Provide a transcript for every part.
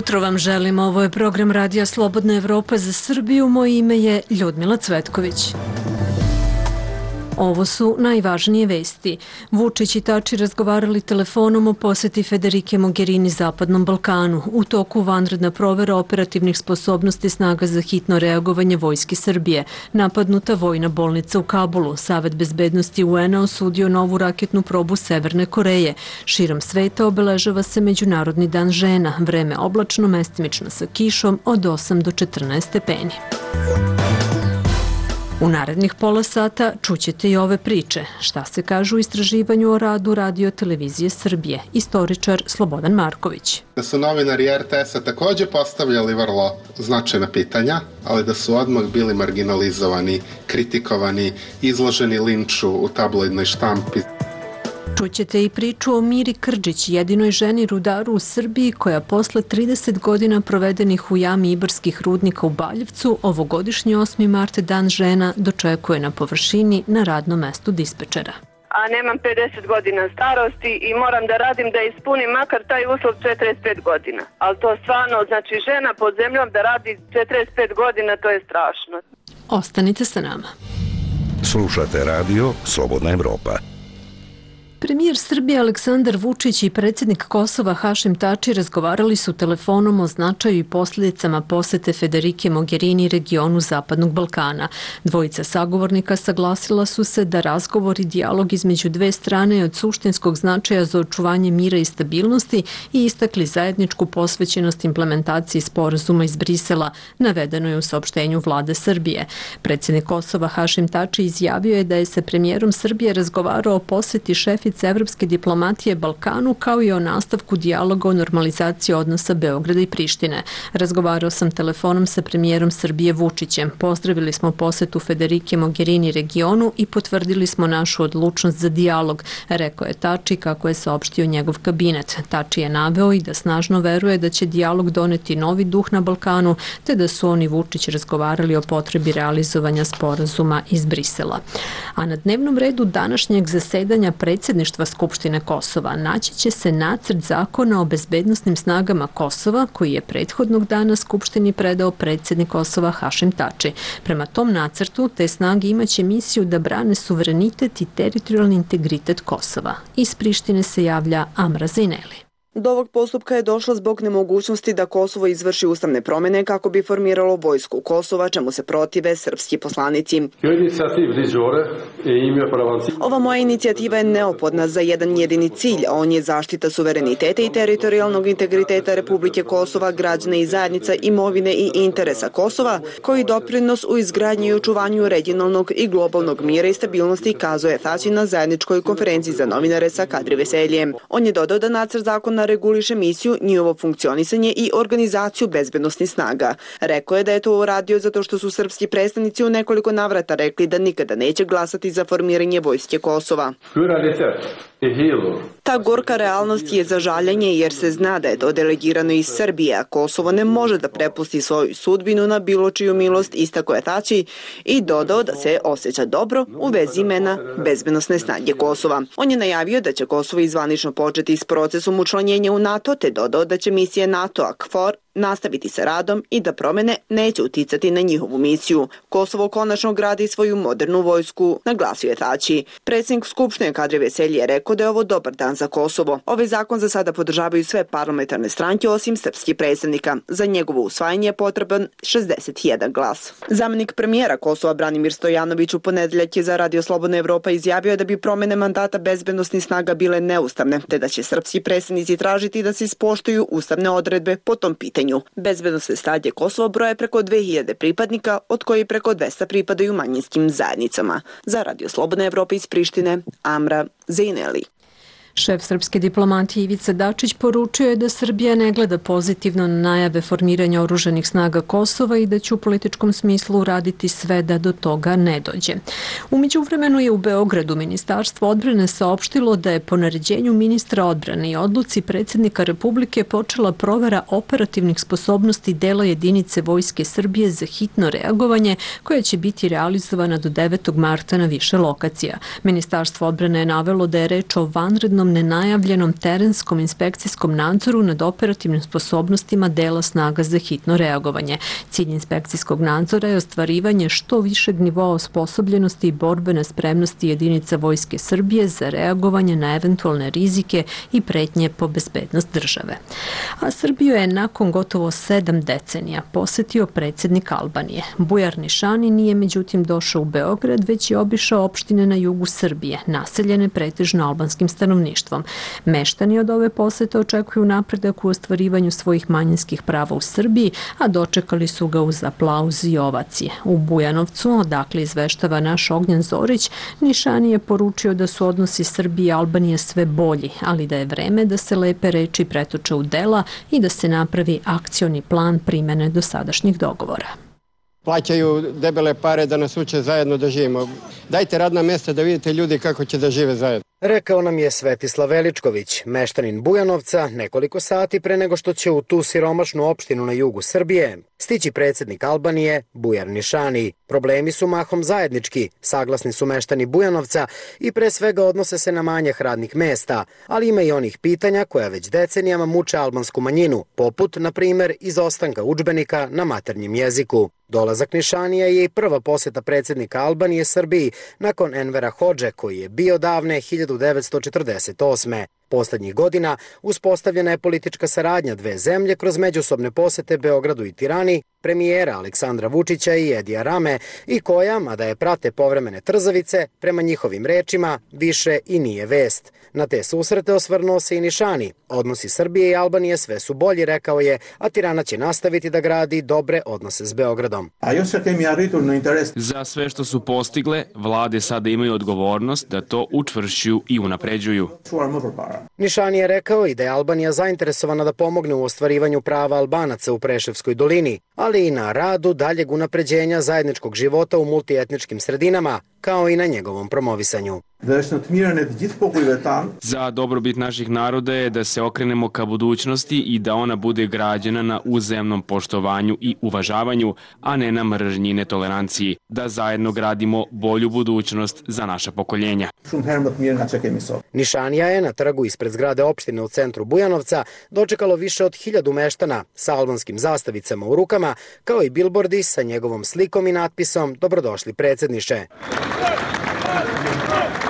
Jutro vam želim, ovo je program Radija Slobodna Evropa za Srbiju, moje ime je Ljudmila Cvetković. Ovo su najvažnije vesti. Vučić i Tači razgovarali telefonom o poseti Federike Mogherini Zapadnom Balkanu. U toku vanredna provera operativnih sposobnosti snaga za hitno reagovanje Vojske Srbije. Napadnuta vojna bolnica u Kabulu. Savet bezbednosti UN-a osudio novu raketnu probu Severne Koreje. Širom sveta obeležava se Međunarodni dan žena. Vreme oblačno, mestimično sa kišom od 8 do 14 stepeni. U narednih pola sata čućete i ove priče. Šta se kaže u istraživanju o radu Radio televizije Srbije? Istoričar Slobodan Marković. Da su novinari RTS-a također postavljali vrlo značajna pitanja, ali da su odmah bili marginalizovani, kritikovani, izloženi linču u tabloidnoj štampi. Čućete i priču o Miri Krđić, jedinoj ženi rudaru u Srbiji koja posle 30 godina provedenih u jami Ibarskih rudnika u Baljevcu, ovogodišnji 8. mart dan žena dočekuje na površini na radnom mestu dispečera. A nemam 50 godina starosti i moram da radim da ispunim makar taj uslov 45 godina. Ali to stvarno, znači žena pod zemljom da radi 45 godina, to je strašno. Ostanite sa nama. Slušate radio Slobodna Evropa. Premijer Srbije Aleksandar Vučić i predsjednik Kosova Hašim Tači razgovarali su telefonom o značaju i posljedicama posete Federike Mogherini regionu Zapadnog Balkana. Dvojica sagovornika saglasila su se da razgovor i dijalog između dve strane je od suštinskog značaja za očuvanje mira i stabilnosti i istakli zajedničku posvećenost implementaciji sporazuma iz Brisela, navedeno je u saopštenju vlade Srbije. Predsjednik Kosova Hašim Tači izjavio je da je sa premijerom Srbije razgovarao o poseti šefice evropske diplomatije Balkanu kao i o nastavku dijaloga o normalizaciji odnosa Beograda i Prištine. Razgovarao sam telefonom sa premijerom Srbije Vučićem. Pozdravili smo posetu Federike Mogherini regionu i potvrdili smo našu odlučnost za dijalog, rekao je Tači kako je saopštio njegov kabinet. Tači je naveo i da snažno veruje da će dijalog doneti novi duh na Balkanu, te da su oni Vučić razgovarali o potrebi realizovanja sporazuma iz Brisela. A na dnevnom redu današnjeg zasedanja predsjedništva Skupštine Kosova naći će se nacrt zakona o bezbednosnim snagama Kosova koji je prethodnog dana Skupštini predao predsjednik Kosova Hašim Tači. Prema tom nacrtu te snage imaće misiju da brane suverenitet i teritorijalni integritet Kosova. Iz Prištine se javlja Amra Zineli. Do ovog postupka je došlo zbog nemogućnosti da Kosovo izvrši ustavne promjene kako bi formiralo vojsku Kosova, čemu se protive srpski poslanici. Ova moja inicijativa je neophodna za jedan jedini cilj, a on je zaštita suvereniteta i teritorijalnog integriteta Republike Kosova, građana i zajednica, imovine i interesa Kosova, koji doprinos u izgradnji i očuvanju regionalnog i globalnog mira i stabilnosti, kazuje Tači na zajedničkoj konferenciji za novinare sa Kadri Veseljem. On je dodao da nacrt zakona reguliše misiju, njihovo funkcionisanje i organizaciju bezbednosnih snaga. Rekao je da je to uradio zato što su srpski predstavnici u nekoliko navrata rekli da nikada neće glasati za formiranje vojske Kosova. Ta gorka realnost je za žaljenje jer se zna da je to delegirano iz Srbije, a Kosovo ne može da prepusti svoju sudbinu na bilo čiju milost, istakao je Tači i dodao da se osjeća dobro u vezi imena bezbednosne snage Kosova. On je najavio da će Kosovo izvanično početi s procesom učlanjenja u NATO, te dodao da će misije NATO-a KFOR nastaviti sa radom i da promjene neće uticati na njihovu misiju. Kosovo konačno gradi svoju modernu vojsku, naglasio je Tači. Predsjednik Skupštine Kadri Veselji je rekao da je ovo dobar dan za Kosovo. Ovaj zakon za sada podržavaju sve parlamentarne stranke osim srpskih predstavnika. Za njegovo usvajanje je potreban 61 glas. Zamenik premijera Kosova Branimir Stojanović u ponedeljak je za Radio Slobodna Evropa izjavio da bi promjene mandata bezbednosnih snaga bile neustavne, te da će srpski predstavnici tražiti da se ispoštuju ustavne odredbe po tom pitanju. Bezbednosne snage Kosova broje preko 2000 pripadnika, od kojih preko 200 pripadaju manjinskim zajednicama. Za Radio Slobodna Evropa iz Prištine, Amra Zineli. Šef srpske diplomatije Ivica Dačić poručio je da Srbija ne gleda pozitivno na najave formiranja oružanih snaga Kosova i da će u političkom smislu uraditi sve da do toga ne dođe. U međuvremenu je u Beogradu Ministarstvo odbrane saopštilo da je po naređenju ministra odbrane i odluci predsjednika Republike počela provera operativnih sposobnosti dela jedinice Vojske Srbije za hitno reagovanje koja će biti realizovana do 9. marta na više lokacija. Ministarstvo odbrane je navelo da je reč o vanrednom nenajavljenom terenskom inspekcijskom nadzoru nad operativnim sposobnostima dela snaga za hitno reagovanje. Cilj inspekcijskog nadzora je ostvarivanje što višeg nivoa osposobljenosti i borbene spremnosti jedinica Vojske Srbije za reagovanje na eventualne rizike i pretnje po bezbednost države. A Srbiju je nakon gotovo 7 decenija posetio predsjednik Albanije. Bujar Nišani nije međutim došao u Beograd, već je obišao opštine na jugu Srbije, naseljene pretežno albanskim stanovništvom. Meštani od ove posete očekuju napredak u ostvarivanju svojih manjinskih prava u Srbiji, a dočekali su ga uz aplauz i ovacije. U Bujanovcu, odakle izveštava naš Ognjen Zorić, Nišani je poručio da su odnosi Srbije i Albanije sve bolji, ali da je vreme da se lepe reči pretoče u dela i da se napravi akcioni plan primene dosadašnjih dogovora. Plaćaju debele pare da nas uče zajedno da živimo. Dajte radna mjesta da vidite ljudi kako će da žive zajedno. Rekao nam je Svetislav Veličković, meštanin Bujanovca, nekoliko sati pre nego što će u tu siromašnu opštinu na jugu Srbije stići predsjednik Albanije, Bujar Nišani. Problemi su mahom zajednički, saglasni su meštani Bujanovca i pre svega odnose se na manjak radnih mesta, ali ima i onih pitanja koja već decenijama muče albansku manjinu, poput, na primjer, izostanka udžbenika na maternjem jeziku. Dolazak Nišanija je i prva posjeta predsjednika Albanije Srbiji nakon Envera Hodže, koji je bio davne 1948. Poslednjih godina uspostavljena je politička saradnja dve zemlje kroz međusobne posete Beogradu i Tirani, premijera Aleksandra Vučića i Edija Rame i koja, mada je prate povremene trzavice, prema njihovim rečima, više i nije vest. Na te susrete osvrnuo se i Nišani. Odnosi Srbije i Albanije sve su bolji, rekao je, a Tirana će nastaviti da gradi dobre odnose s Beogradom. Za sve što su postigle, vlade sada imaju odgovornost da to učvršćuju i unapređuju. Nišani je rekao i da je Albanija zainteresovana da pomogne u ostvarivanju prava Albanaca u Preševskoj dolini, ali i na radu daljeg unapređenja zajedničkog života u multietničkim sredinama, kao i na njegovom promovisanju. Za dobrobit naših naroda je da se okrenemo ka budućnosti i da ona bude građena na uzajamnom poštovanju i uvažavanju, a ne na mržnji i netoleranciji, da zajedno gradimo bolju budućnost za naša pokoljenja. Nišanija je na trgu ispred zgrade opštine u centru Bujanovca dočekalo više od 1000 meštana sa albanskim zastavicama u rukama, kao i bilbordi sa njegovom slikom i natpisom "Dobrodošli predsjedniče".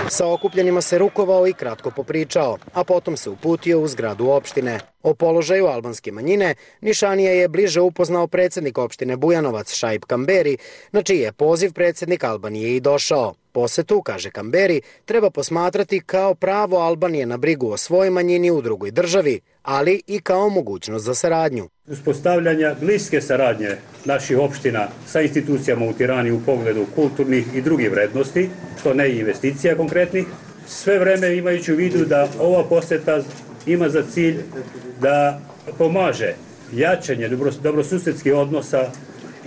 Sa okupljenima se rukovao i kratko popričao, a potom se uputio u zgradu opštine. O položaju albanske manjine Nišanija je bliže upoznao predsjednik opštine Bujanovac Šaip Kamberi, na čiji je poziv predsjednik Albanije i došao. Posetu, kaže Kamberi, treba posmatrati kao pravo Albanije na brigu o svojoj manjini u drugoj državi, ali i kao mogućnost za saradnju. Uspostavljanja bliske saradnje naših opština sa institucijama u Tirani u pogledu kulturnih i drugih vrednosti, što ne i investicija konkretnih, sve vreme imajući u vidu da ova poseta ima za cilj da pomaže jačanje dobrosusedskih odnosa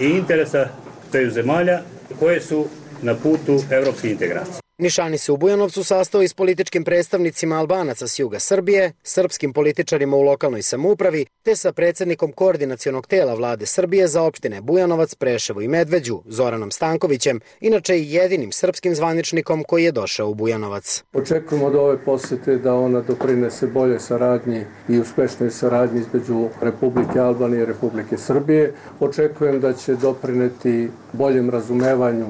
i interesa dveju zemalja koje su na putu evropske integracije. Nišani se u Bujanovcu sastao i s političkim predstavnicima Albanaca s juga Srbije, srpskim političarima u lokalnoj samoupravi, te sa predsjednikom koordinacionog tela vlade Srbije za opštine Bujanovac, Preševo i Medveđu, Zoranom Stankovićem, inače i jedinim srpskim zvaničnikom koji je došao u Bujanovac. Očekujemo od ove posete da ona doprinese boljoj saradnji i uspešnoj saradnji između Republike Albanije i Republike Srbije. Očekujem da će doprineti boljem razumevanju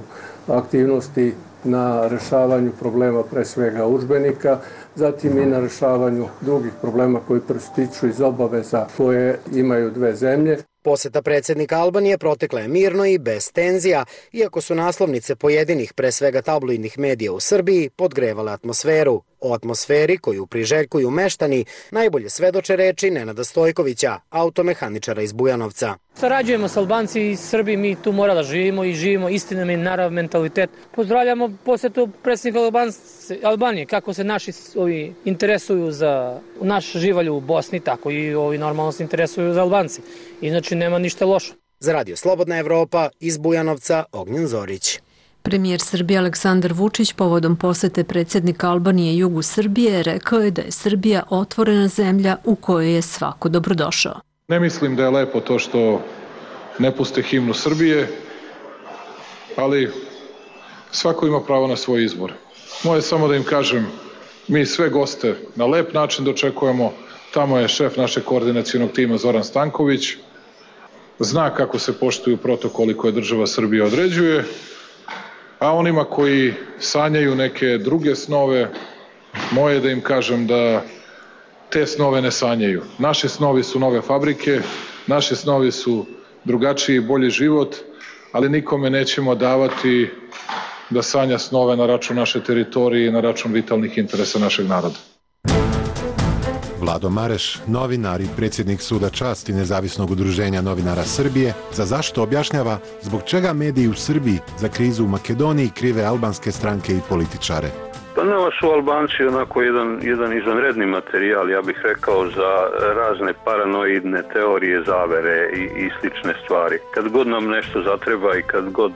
aktivnosti na rešavanju problema pre svega udžbenika, zatim i na rešavanju drugih problema koji proističu iz obaveza koje imaju dve zemlje. Poseta predsjednika Albanije protekla je mirno i bez tenzija, iako su naslovnice pojedinih, pre svega tabloidnih medija u Srbiji, podgrevale atmosferu. O atmosferi koju priželjkuju meštani najbolje svedoče reči Nenada Stojkovića, automehaničara iz Bujanovca. Sarađujemo s Albanci i Srbi, mi tu mora da živimo i živimo istinami narav mentalitet. Pozdravljamo posjetu predsjednika Albanije, kako se naši interesuju za naš živalj u Bosni, tako i ovi normalno se interesuju za Albanci. Inače nema ništa lošo. Za Radio Slobodna Evropa iz Bujanovca, Ognjen Zorić. Premijer Srbije Aleksandar Vučić povodom posete predsjednika Albanije jugu Srbije rekao je da je Srbija otvorena zemlja u kojoj je svako dobrodošao. Ne mislim da je lepo to što ne puste himnu Srbije, ali svako ima pravo na svoj izbor. Moje samo da im kažem, mi sve goste na lep način dočekujemo. Tamo je šef našeg koordinacionog tima Zoran Stanković. Zna kako se poštuju protokoli koje država Srbija određuje, a onima koji sanjaju neke druge snove, moje je da im kažem da te snove ne sanjaju. Naši snovi su nove fabrike, naši snovi su drugačiji i bolji život, ali nikome nećemo davati da sanja snove na račun naše teritorije i na račun vitalnih interesa našeg naroda. Vlado Mareš, novinar i predsjednik Suda časti Nezavisnog udruženja novinara Srbije, za zašto objašnjava zbog čega mediji u Srbiji za krizu u Makedoniji krive albanske stranke i političare. Pa nama su Albanci onako jedan izvanredni materijal, ja bih rekao, za razne paranoidne teorije zavere i slične stvari. Kad god nam nešto zatreba i kad god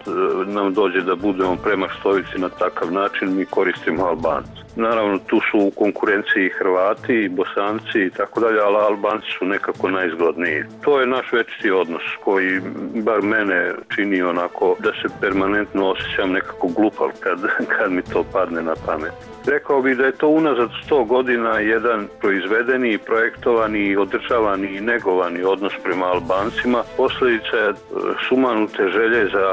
nam dođe da budemo premaštovici na takav način, mi koristimo Albanci. Naravno, tu su u konkurenciji Hrvati i Bosanci i tako dalje, ali Albanci su nekako najzgodniji. To je naš večiti odnos koji bar mene čini onako da se permanentno osjećam nekako glupav kad mi to padne na pamet. Rekao bih da je to unazad 100 godina jedan proizvedeni, projektovani, održavani i negovani odnos prema Albancima. Posljedica je sumanute želje za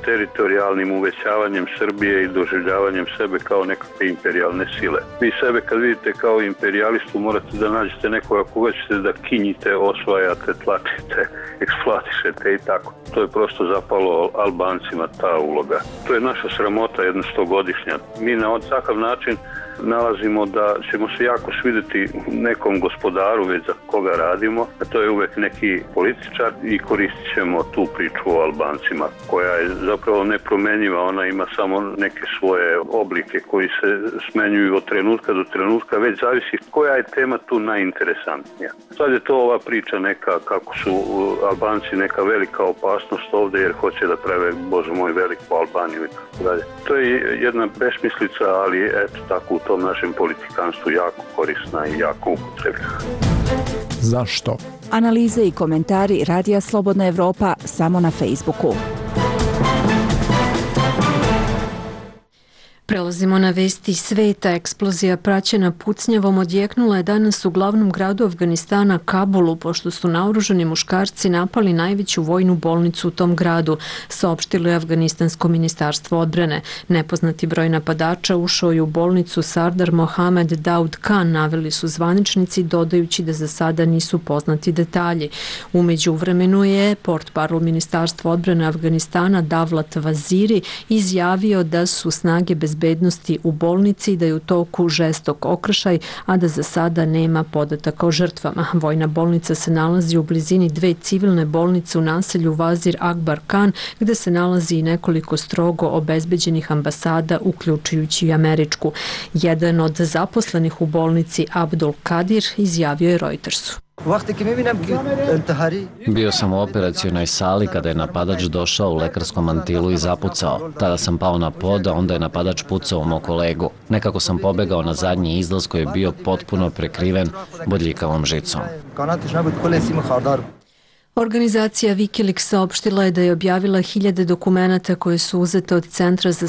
teritorijalnim uvećavanjem Srbije i doživljavanjem sebe kao nekakve imperijalne sile. Vi sebe kad vidite kao imperijalistu morate da nađete nekoga koga ćete da kinjite, osvajate, tlačite, eksploatišete i tako. To je prosto zapalo Albancima ta uloga. To je naša sramota, jedna 100-godišnja. Mi na takav način nalazimo da ćemo se jako svidjeti nekom gospodaru već za koga radimo, a to je uvek neki političar i koristit ćemo tu priču o Albancima koja je zapravo nepromenjiva, ona ima samo neke svoje oblike koji se smenjuju od trenutka do trenutka, već zavisi koja je tema tu najinteresantnija. Sad je to ova priča neka kako su Albanci neka velika opasnost ovdje jer hoće da prave, Bože moj, veliku Albaniju i tako dalje. To je jedna besmislica, ali eto tako u tom našem politikanstvu jako korisna i jako upotrebljena. Zašto? Analize i komentari Radija Slobodna Evropa samo na Facebooku. Prelazimo na vesti sveta. Eksplozija praćena pucnjavom odjeknula je danas u glavnom gradu Afganistana, Kabulu, pošto su naoružani muškarci napali najveću vojnu bolnicu u tom gradu, saopštilo je Afganistansko ministarstvo odbrane. Nepoznati broj napadača ušao je u bolnicu Sardar Mohamed Daud Khan, naveli su zvaničnici, dodajući da za sada nisu poznati detalji. U međuvremenu je portparol ministarstva odbrane Afganistana Davlat Vaziri izjavio da su snage bezbednosti u bolnici, da je u toku žestok okršaj, a da za sada nema podataka o žrtvama. Vojna bolnica se nalazi u blizini dve civilne bolnice u naselju Vazir Akbar Khan, gde se nalazi i nekoliko strogo obezbeđenih ambasada, uključujući i američku. Jedan od zaposlenih u bolnici, Abdul Kadir, izjavio je Reutersu. Bio sam u operacionoj sali kada je napadač došao u lekarskom mantilu i zapucao. Tada sam pao na pod, a onda je napadač pucao u mog kolegu. Nekako sam pobegao na zadnji izlaz koji je bio potpuno prekriven bodljikavom žicom. Organizacija Wikileaks saopštila je da je objavila hiljade dokumenata koje su uzete od Centra za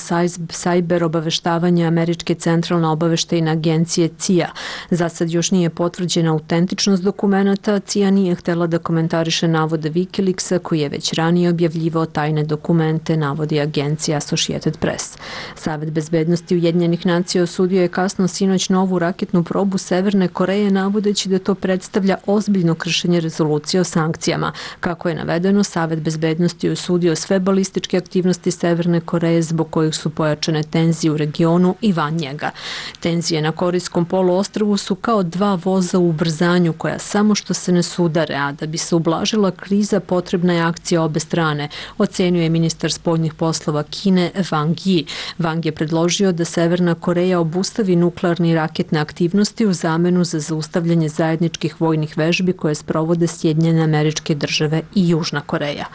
sajber obaveštavanje Američke centralne obaveštajne agencije CIA. Za sad još nije potvrđena autentičnost dokumenata, CIA nije htela da komentariše navode Wikileaksa koji je već ranije objavljivao tajne dokumente, navodi agencija Associated Press. Savet bezbednosti Ujedinjenih nacija osudio je kasno sinoć novu raketnu probu Severne Koreje, navodeći da to predstavlja ozbiljno kršenje rezolucije o sankcijama. Kako je navedeno, Savet bezbednosti je osudio sve balističke aktivnosti Severne Koreje zbog kojih su pojačane tenzije u regionu i van njega. Tenzije na Korejskom poluostrvu su kao dva voza u ubrzanju koja samo što se ne sudare, a da bi se ublažila kriza potrebna je akcija obe strane, ocenio je ministar spoljnih poslova Kine Wang Yi. Wang je predložio da Severna Koreja obustavi nuklearne i raketne aktivnosti u zamenu za zaustavljanje zajedničkih vojnih vežbi koje sprovode Sjedinjene Američke Države i Južna Koreja.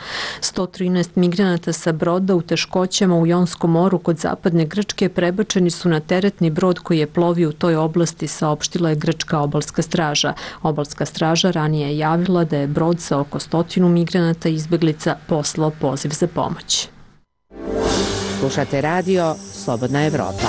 113 migranata sa broda u teškoćama u Jonskom moru kod zapadne Grčke prebačeni su na teretni brod koji je plovio u toj oblasti, saopštila je grčka obalska straža. Obalska straža ranije je javila da je brod sa oko 100 migranata i izbeglica poslao poziv za pomoć. Slušate radio Slobodna Evropa.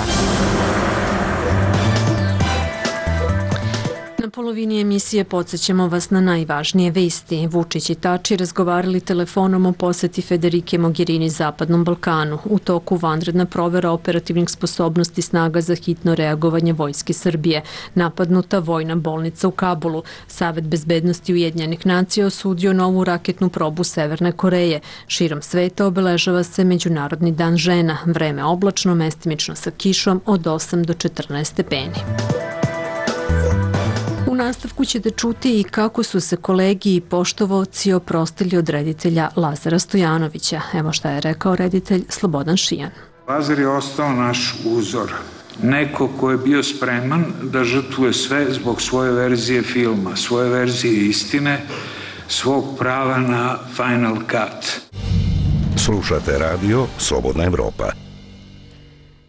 Na polovini emisije podsjećamo vas na najvažnije vesti. Vučić i Tači razgovarali telefonom o poseti Federike Mogherini Zapadnom Balkanu. U toku vanredna provera operativnih sposobnosti snaga za hitno reagovanje Vojske Srbije. Napadnuta vojna bolnica u Kabulu. Savet bezbednosti Ujedinjenih nacija osudio novu raketnu probu Severne Koreje. Širom sveta obeležava se Međunarodni dan žena. Vreme oblačno, mestimično sa kišom od 8 do 14 stepeni. U nastavku ćete čuti i kako su se kolegi i poštovaoci oprostili od reditelja Lazara Stojanovića. Evo šta je rekao reditelj Slobodan Šijan. Lazar je ostao naš uzor. Neko ko je bio spreman da žrtvuje sve zbog svoje verzije filma, svoje verzije istine, svog prava na Final Cut. Slušate radio Slobodna Evropa.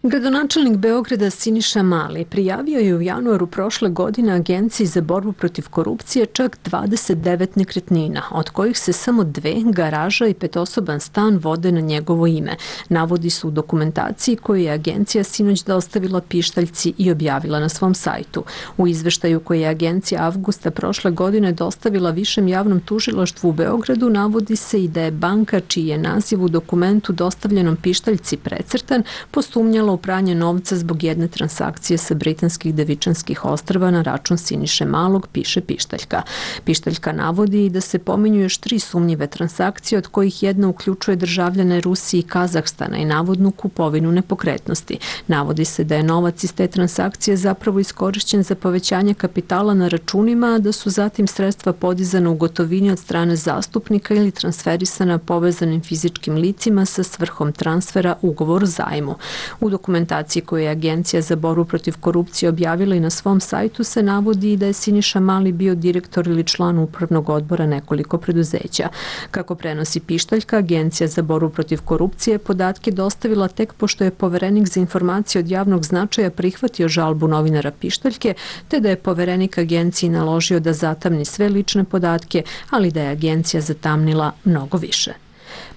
Gradonačelnik Beograda Siniša Mali prijavio je u januaru prošle godine Agenciji za borbu protiv korupcije čak 29 nekretnina, od kojih se samo 2, garaža i 5-osoban stan, vode na njegovo ime. Navodi su u dokumentaciji koju je agencija sinoć dostavila pištaljci i objavila na svom sajtu. U izveštaju koji je agencija avgusta prošle godine dostavila Višem javnom tužilaštvu u Beogradu navodi se i da je banka, čiji je naziv u dokumentu dostavljenom pištaljci precrtan, posumnjala u pranje novca zbog jedne transakcije sa britanskih Devičanskih ostrva na račun Siniše Malog, piše pištaljka. Pištaljka navodi i da se pominju još 3 sumnjive transakcije, od kojih jedna uključuje državljane Rusije i Kazahstana i navodnu kupovinu nepokretnosti. Navodi se da je novac iz te transakcije zapravo iskorišćen za povećanje kapitala na računima, a da su zatim sredstva podizana u gotovini od strane zastupnika ili transferisana povezanim fizičkim licima sa svrhom transfera ugovor o zajmu. U dokumentaciji koju je Agencija za borbu protiv korupcije objavila i na svom sajtu se navodi da je Siniša Mali bio direktor ili član upravnog odbora nekoliko preduzeća. Kako prenosi pištaljka, Agencija za borbu protiv korupcije podatke dostavila tek pošto je poverenik za informacije od javnog značaja prihvatio žalbu novinara pištaljke, te da je poverenik agenciji naložio da zatamni sve lične podatke, ali da je agencija zatamnila mnogo više.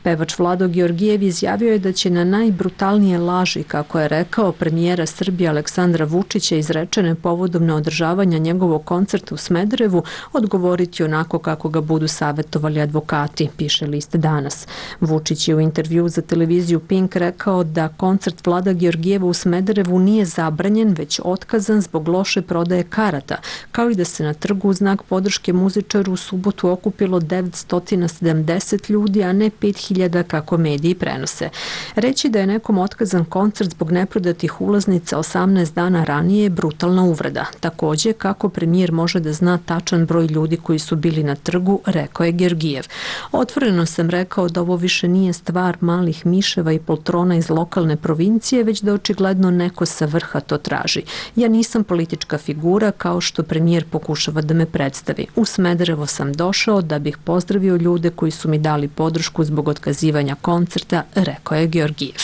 Pevač Vlado Georgijev izjavio je da će na najbrutalnije laži, kako je rekao, premijera Srbije Aleksandra Vučića izrečene povodom neodržavanja njegovog koncerta u Smederevu odgovoriti onako kako ga budu savjetovali advokati, piše list Danas. Vučić je u intervju za televiziju Pink rekao da koncert Vlada Georgijeva u Smederevu nije zabranjen, već otkazan zbog loše prodaje karata, kao i da se na trgu u znak podrške muzičaru u subotu okupilo 970 ljudi, a ne 5000 kako mediji prenose. Reći da je nekom otkazan koncert zbog neprodatih ulaznica 18 dana ranije je brutalna uvreda. Takođe, kako premijer može da zna tačan broj ljudi koji su bili na trgu, rekao je Georgijev. Otvoreno sam rekao da ovo više nije stvar malih miševa i poltrona iz lokalne provincije, već da očigledno neko sa vrha to traži. Ja nisam politička figura kao što premijer pokušava da me predstavi. U Smederevo sam došao da bih pozdravio ljude koji su mi dali podršku zbog otkazivanja koncerta, rekao je Georgijev.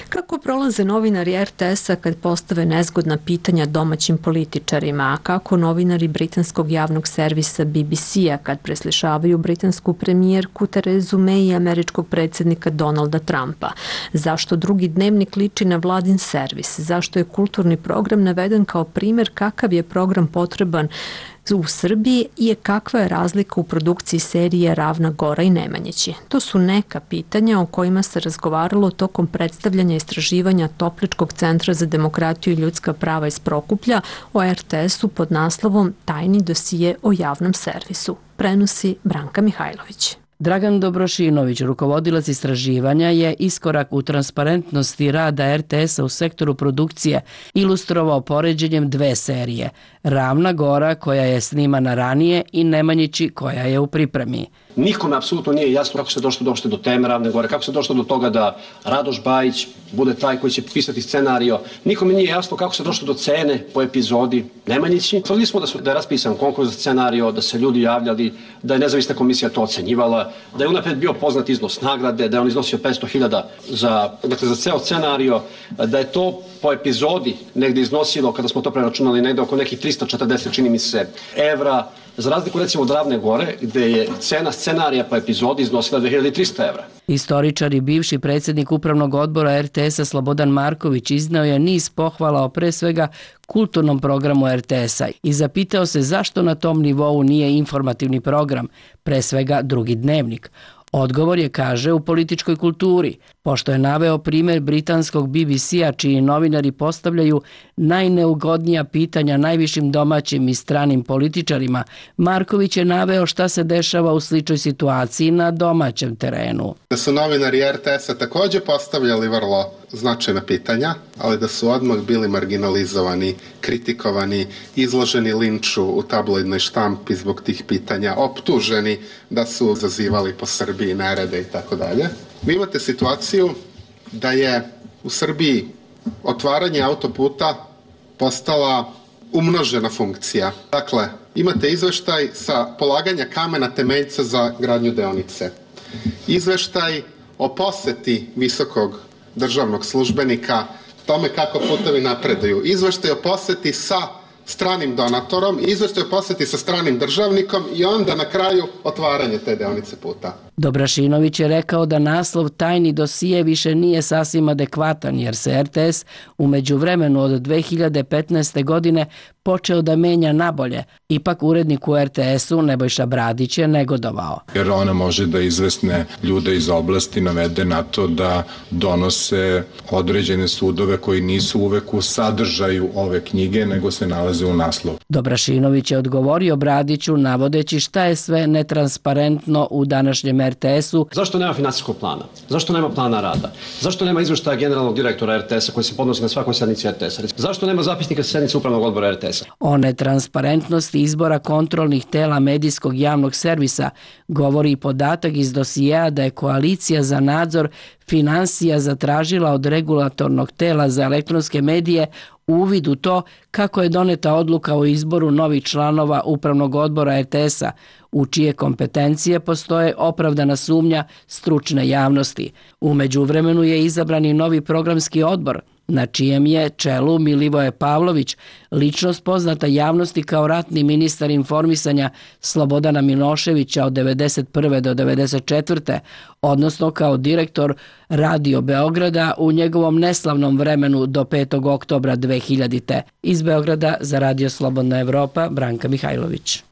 Kako prolaze novinari RTS-a kad postave nezgodna pitanja domaćim političarima, a kako novinari britanskog javnog servisa BBC-a kad preslišavaju britansku premijerku Terezu May i američkog predsjednika Donalda Trumpa? Zašto drugi dnevnik liči na vladin servis? Zašto je kulturni program naveden kao primjer kakav je program potreban u Srbiji i kakva je razlika u produkciji serije Ravna Gora i Nemanjići? To su neka pitanja o kojima se razgovaralo tokom predstavljanja i istraživanja Topličkog centra za demokratiju i ljudska prava iz Prokuplja o RTS-u pod naslovom Tajni dosije o javnom servisu. Prenosi Branka Mihajlović. Dragan Dobrošinović, rukovodilac istraživanja, je iskorak u transparentnosti rada RTS-a u sektoru produkcije ilustrovao poređenjem dve serije. Ravna Gora, koja je snimana ranije, i Nemanjići, koja je u pripremi. Nikome apsolutno nije jasno kako se došlo do teme Ravne Gore, kako se došlo do toga da Radoš Bajić bude taj koji će pisati scenario. Nikome nije jasno kako se došlo do cene po epizodi Nemanjići. Tvrdili smo da je raspisan konkurs za scenario, da se ljudi javljali, da je nezavisna komisija to ocenjivala, da je unapred bio poznat iznos nagrade, da je on iznosio 500.000 za ceo scenario, da je to po epizodi negde iznosilo, kada smo to preračunali, negde oko nekih 340, čini mi se, evra, za razliku recimo od Ravne Gore, gde je cena scenarija po epizodi iznosila 2300 evra. Istoričar i bivši predsjednik upravnog odbora RTS-a Slobodan Marković izneo je niz pohvala o pre svega kulturnom programu RTS-a i zapitao se zašto na tom nivou nije informativni program, pre svega Drugi dnevnik. Odgovor je, kaže, u političkoj kulturi, pošto je naveo primjer britanskog BBC-a čiji novinari postavljaju najneugodnija pitanja najvišim domaćim i stranim političarima. Marković je naveo šta se dešava u sličnoj situaciji na domaćem terenu. Da su novinari RTS-a također postavljali vrlo značajna pitanja, ali da su odmah bili marginalizovani, kritikovani, izloženi linču u tabloidnoj štampi zbog tih pitanja, optuženi da su zazivali po Srbiji nerede i tako dalje. Vi imate situaciju da je u Srbiji otvaranje autoputa postala umnožena funkcija. Dakle, imate izveštaj sa polaganja kamena temeljca za gradnju deonice. Izveštaj o poseti visokog državnog službenika, tome kako putevi napreduju. Izveštaj o poseti sa stranim donatorom, izveštaj o poseti sa stranim državnikom i onda na kraju otvaranje te deonice puta. Dobrašinović je rekao da naslov Tajni dosije više nije sasvim adekvatan jer se RTS u međuvremenu od 2015. godine počeo da menja nabolje. Ipak urednik u RTS-u Nebojša Bradić je negodovao. Jer ona može da izvesne ljude iz oblasti navede na to da donose određene sudove koji nisu uvek u sadržaju ove knjige, nego se nalaze u naslovu. Dobrašinović je odgovorio Bradiću navodeći šta je sve netransparentno u današnjem RTS-u. Zašto nema finansijskog plana? Zašto nema plana rada? Zašto nema izveštaja generalnog direktora RTS-a koji se podnosi na svakoj sednici RTS-a? Zašto nema zapisnika sednice upravnog odbora RTS-a? O netransparentnosti izbora kontrolnih tela medijskog javnog servisa govori i podatak iz dosijeja da je Koalicija za nadzor finansija zatražila od regulatornog tela za elektronske medije uvid u to kako je doneta odluka o izboru novih članova upravnog odbora RTS-a, u čije kompetencije postoje opravdana sumnja stručne javnosti. U međuvremenu je izabran i novi programski odbor, na čijem je čelu Milivoje Pavlović, ličnost poznata javnosti kao ratni ministar informisanja Slobodana Miloševića od 1991. do 1994. odnosno kao direktor Radio Beograda u njegovom neslavnom vremenu do 5. oktobra 2000. Iz Beograda za Radio Slobodna Evropa, Branka Mihajlović.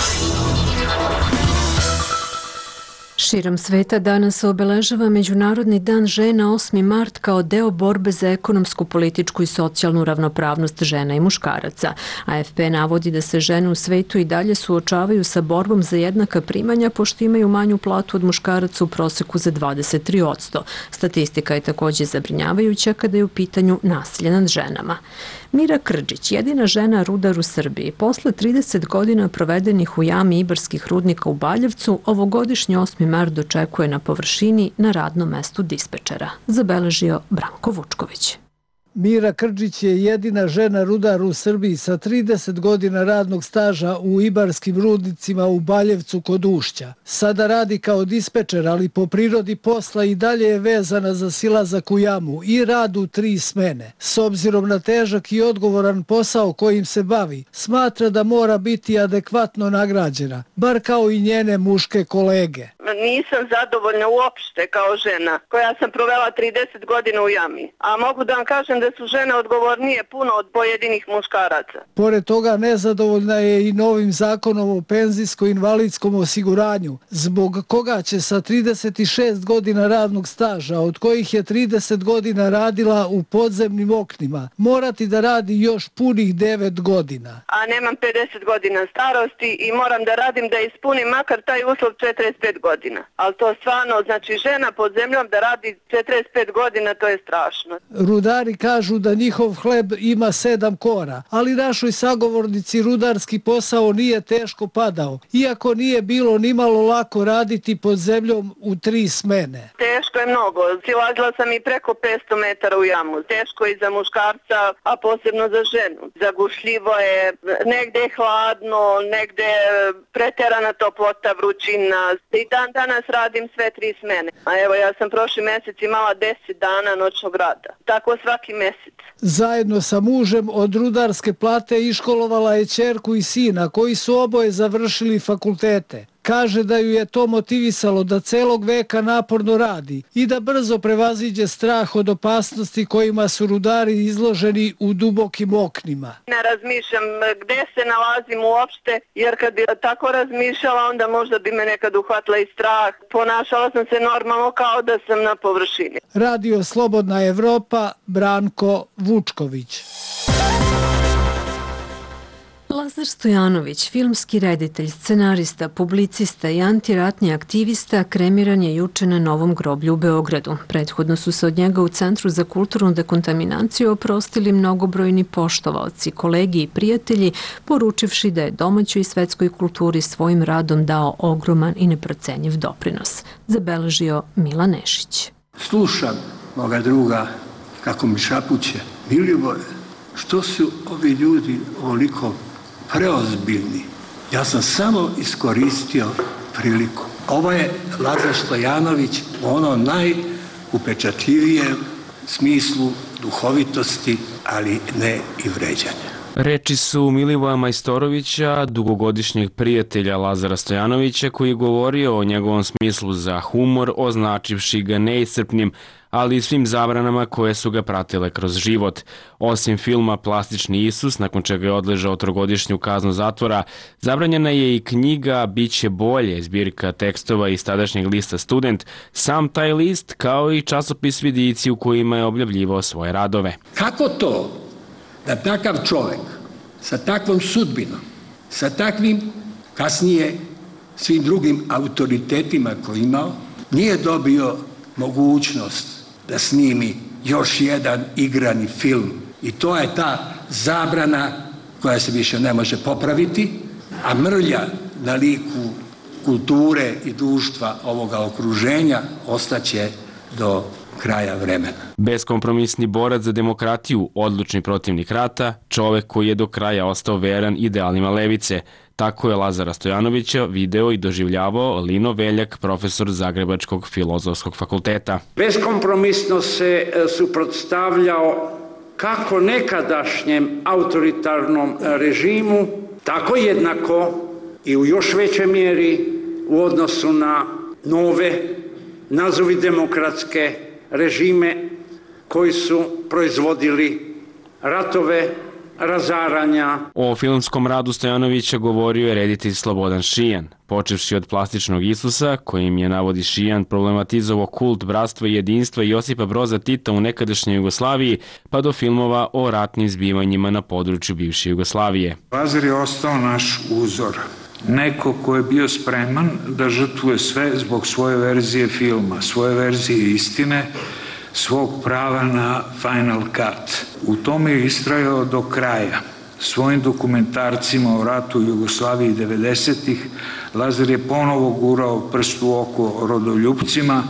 Širom sveta danas se obeležava Međunarodni dan žena 8. mart kao deo borbe za ekonomsku, političku i socijalnu ravnopravnost žena i muškaraca. AFP navodi da se žene u svetu i dalje suočavaju sa borbom za jednaka primanja pošto imaju manju platu od muškaraca u proseku za 23%. Statistika je također zabrinjavajuća kada je u pitanju nasilje nad ženama. Mira Krđić, jedina žena rudar u Srbiji, posle 30 godina provedenih u jami Ibarskih rudnika u Baljevcu, ovogodišnji 8. mart dočekuje na površini na radnom mestu dispečera, zabeležio Branko Vučković. Mira Krđić je jedina žena rudar u Srbiji sa 30 godina radnog staža u Ibarskim rudnicima u Baljevcu kod Ušća. Sada radi kao dispečer, ali po prirodi posla i dalje je vezana za silazak u jamu i rad u 3 smene. S obzirom na težak i odgovoran posao kojim se bavi, smatra da mora biti adekvatno nagrađena, bar kao i njene muške kolege. Nisam zadovoljna uopšte kao žena koja sam provela 30 godina u jami. A mogu da vam kažem da su žene odgovornije puno od pojedinih muškaraca. Pored toga nezadovoljna je i novim zakonom o penzijsko-invalidskom osiguranju, zbog koga će sa 36 godina radnog staža, od kojih je 30 godina radila u podzemnim oknima, morati da radi još punih 9 godina. A nemam 50 godina starosti i moram da radim da ispunim makar taj uslov 45 godina. Ali to stvarno, znači žena pod zemljom da radi 45 godina, to je strašno. Rudari kažu da njihov hleb ima 7 kora, ali našoj sagovornici rudarski posao nije teško padao, iako nije bilo nimalo lako raditi pod zemljom u 3 smene. Teško je mnogo. Silazila sam i preko 500 metara u jamu. Teško je i za muškarca, a posebno za ženu. Zagušljivo je, negde je hladno, negde je preterana toplota, vrućina. I dan danas radim sve 3 smene. A evo, ja sam prošli mjesec imala 10 dana noćnog rada. Tako svaki mjesec. Zajedno sa mužem od rudarske plate iškolovala je ćerku i sina koji su oboje završili fakultete. Kaže da ju je to motivisalo da celog veka naporno radi i da brzo prevaziđe strah od opasnosti kojima su rudari izloženi u dubokim oknima. Ne razmišljam gde se nalazim uopšte, jer kad bi tako razmišljala, onda možda bi me nekad uhvatila i strah. Ponašala sam se normalno kao da sam na površini. Radio Slobodna Evropa, Branko Vučković. Lazar Stojanović, filmski reditelj, scenarista, publicista i antiratni aktivista, kremiran je juče na Novom groblju u Beogradu. Prethodno su se od njega u Centru za kulturnu dekontaminaciju oprostili mnogobrojni poštovaoci, kolegi i prijatelji, poručivši da je domaćoj i svetskoj kulturi svojim radom dao ogroman i neprocenjiv doprinos, zabeležio Mila Nešić. Slušam moga druga kako mi šapuće: Milivore, što su ovi ljudi ovoliko preozbiljni? Ja sam samo iskoristio priliku. Ovo je Lazar Stojanović u onom najupečatljivijem smislu duhovitosti, ali ne i vređanja. Reči su Milivoja Majstorovića, dugogodišnjeg prijatelja Lazara Stojanovića, koji je govorio o njegovom smislu za humor, označivši ga neiscrpnim, ali i svim zabranama koje su ga pratile kroz život. Osim filma Plastični Isus, nakon čega je odležao 3-godišnju kaznu zatvora, zabranjena je i knjiga Biće bolje, zbirka tekstova iz tadašnjeg lista Student, sam taj list kao i časopis Vidici u kojima je objavljivao svoje radove. Kako to da takav čovjek sa takvom sudbinom, sa takvim kasnije svim drugim autoritetima koji imao, nije dobio mogućnost da snimi još jedan igrani film? I to je ta zabrana koja se više ne može popraviti, a mrlja na liku kulture i društva ovoga okruženja ostaće do kraja vremena. Beskompromisni borac za demokratiju, odlučni protivnik rata, čovek koji je do kraja ostao veran idealima levice. Tako je Lazara Stojanovića video i doživljavao Lino Veljak, profesor Zagrebačkog filozofskog fakulteta. Beskompromisno se suprotstavljao kako nekadašnjem autoritarnom režimu, tako jednako i u još većoj mjeri u odnosu na nove, nazovi demokratske režime koji su proizvodili ratove, razaranja. O filmskom radu Stojanovića govorio je reditelj Slobodan Šijan, počevši od Plastičnog Isusa, kojim je, navodi Šijan, problematizovao kult bratstva i jedinstva Josipa Broza Tita u nekadašnjoj Jugoslaviji, pa do filmova o ratnim zbivanjima na području bivše Jugoslavije. Lazar je ostao naš uzor. Neko ko je bio spreman da žrtvuje sve zbog svoje verzije filma, svoje verzije istine, svog prava na Final Cut. U tome je istrajao do kraja. Svojim dokumentarcima o ratu u Jugoslaviji 90-ih Lazar je ponovo gurao prst u oko rodoljupcima,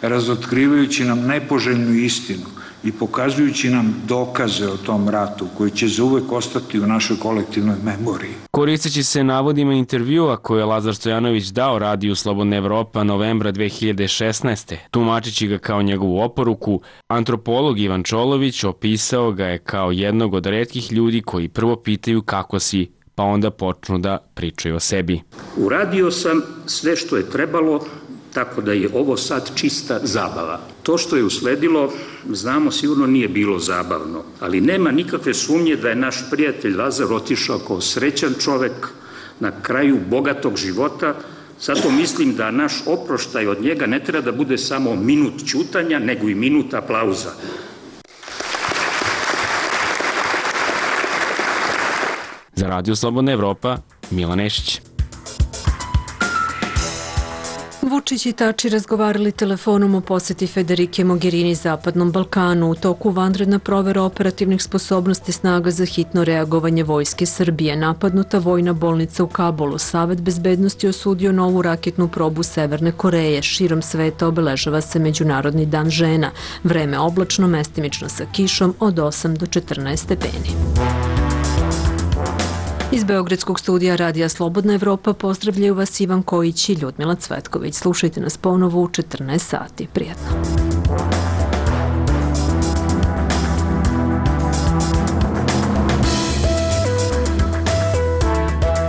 razotkrivajući nam nepoželjnu istinu i pokazujući nam dokaze o tom ratu koji će zauvek ostati u našoj kolektivnoj memoriji. Koristeći se navodima intervjua koje je Lazar Stojanović dao Radiju Slobodna Evropa novembra 2016. tumačići ga kao njegovu oporuku, antropolog Ivan Čolović opisao ga je kao jednog od retkih ljudi koji prvo pitaju kako si, pa onda počnu da pričaju o sebi. Uradio sam sve što je trebalo tako da je ovo sad čista zabava. To što je usledilo, znamo, sigurno nije bilo zabavno, ali nema nikakve sumnje da je naš prijatelj Lazar otišao kao srećan čovek na kraju bogatog života. Zato mislim da naš oproštaj od njega ne treba da bude samo minut ćutanja, nego i minut aplauza. Za Radio Slobodna Evropa, Milan Nešić. Vučić i Tači razgovarali telefonom o poseti Federike Mogherini Zapadnom Balkanu. U toku vanredna provera operativnih sposobnosti snaga za hitno reagovanje Vojske Srbije. Napadnuta vojna bolnica u Kabulu. Savet bezbednosti osudio novu raketnu probu Severne Koreje. Širom sveta obeležava se Međunarodni dan žena. Vreme oblačno, mestimično sa kišom od 8 do 14 stepeni. Iz Beogradskog studija Radija Slobodna Evropa pozdravljaju vas Ivan Kojić i Ljudmila Cvetković. Slušajte nas ponovo u 14 sati. Prijetno.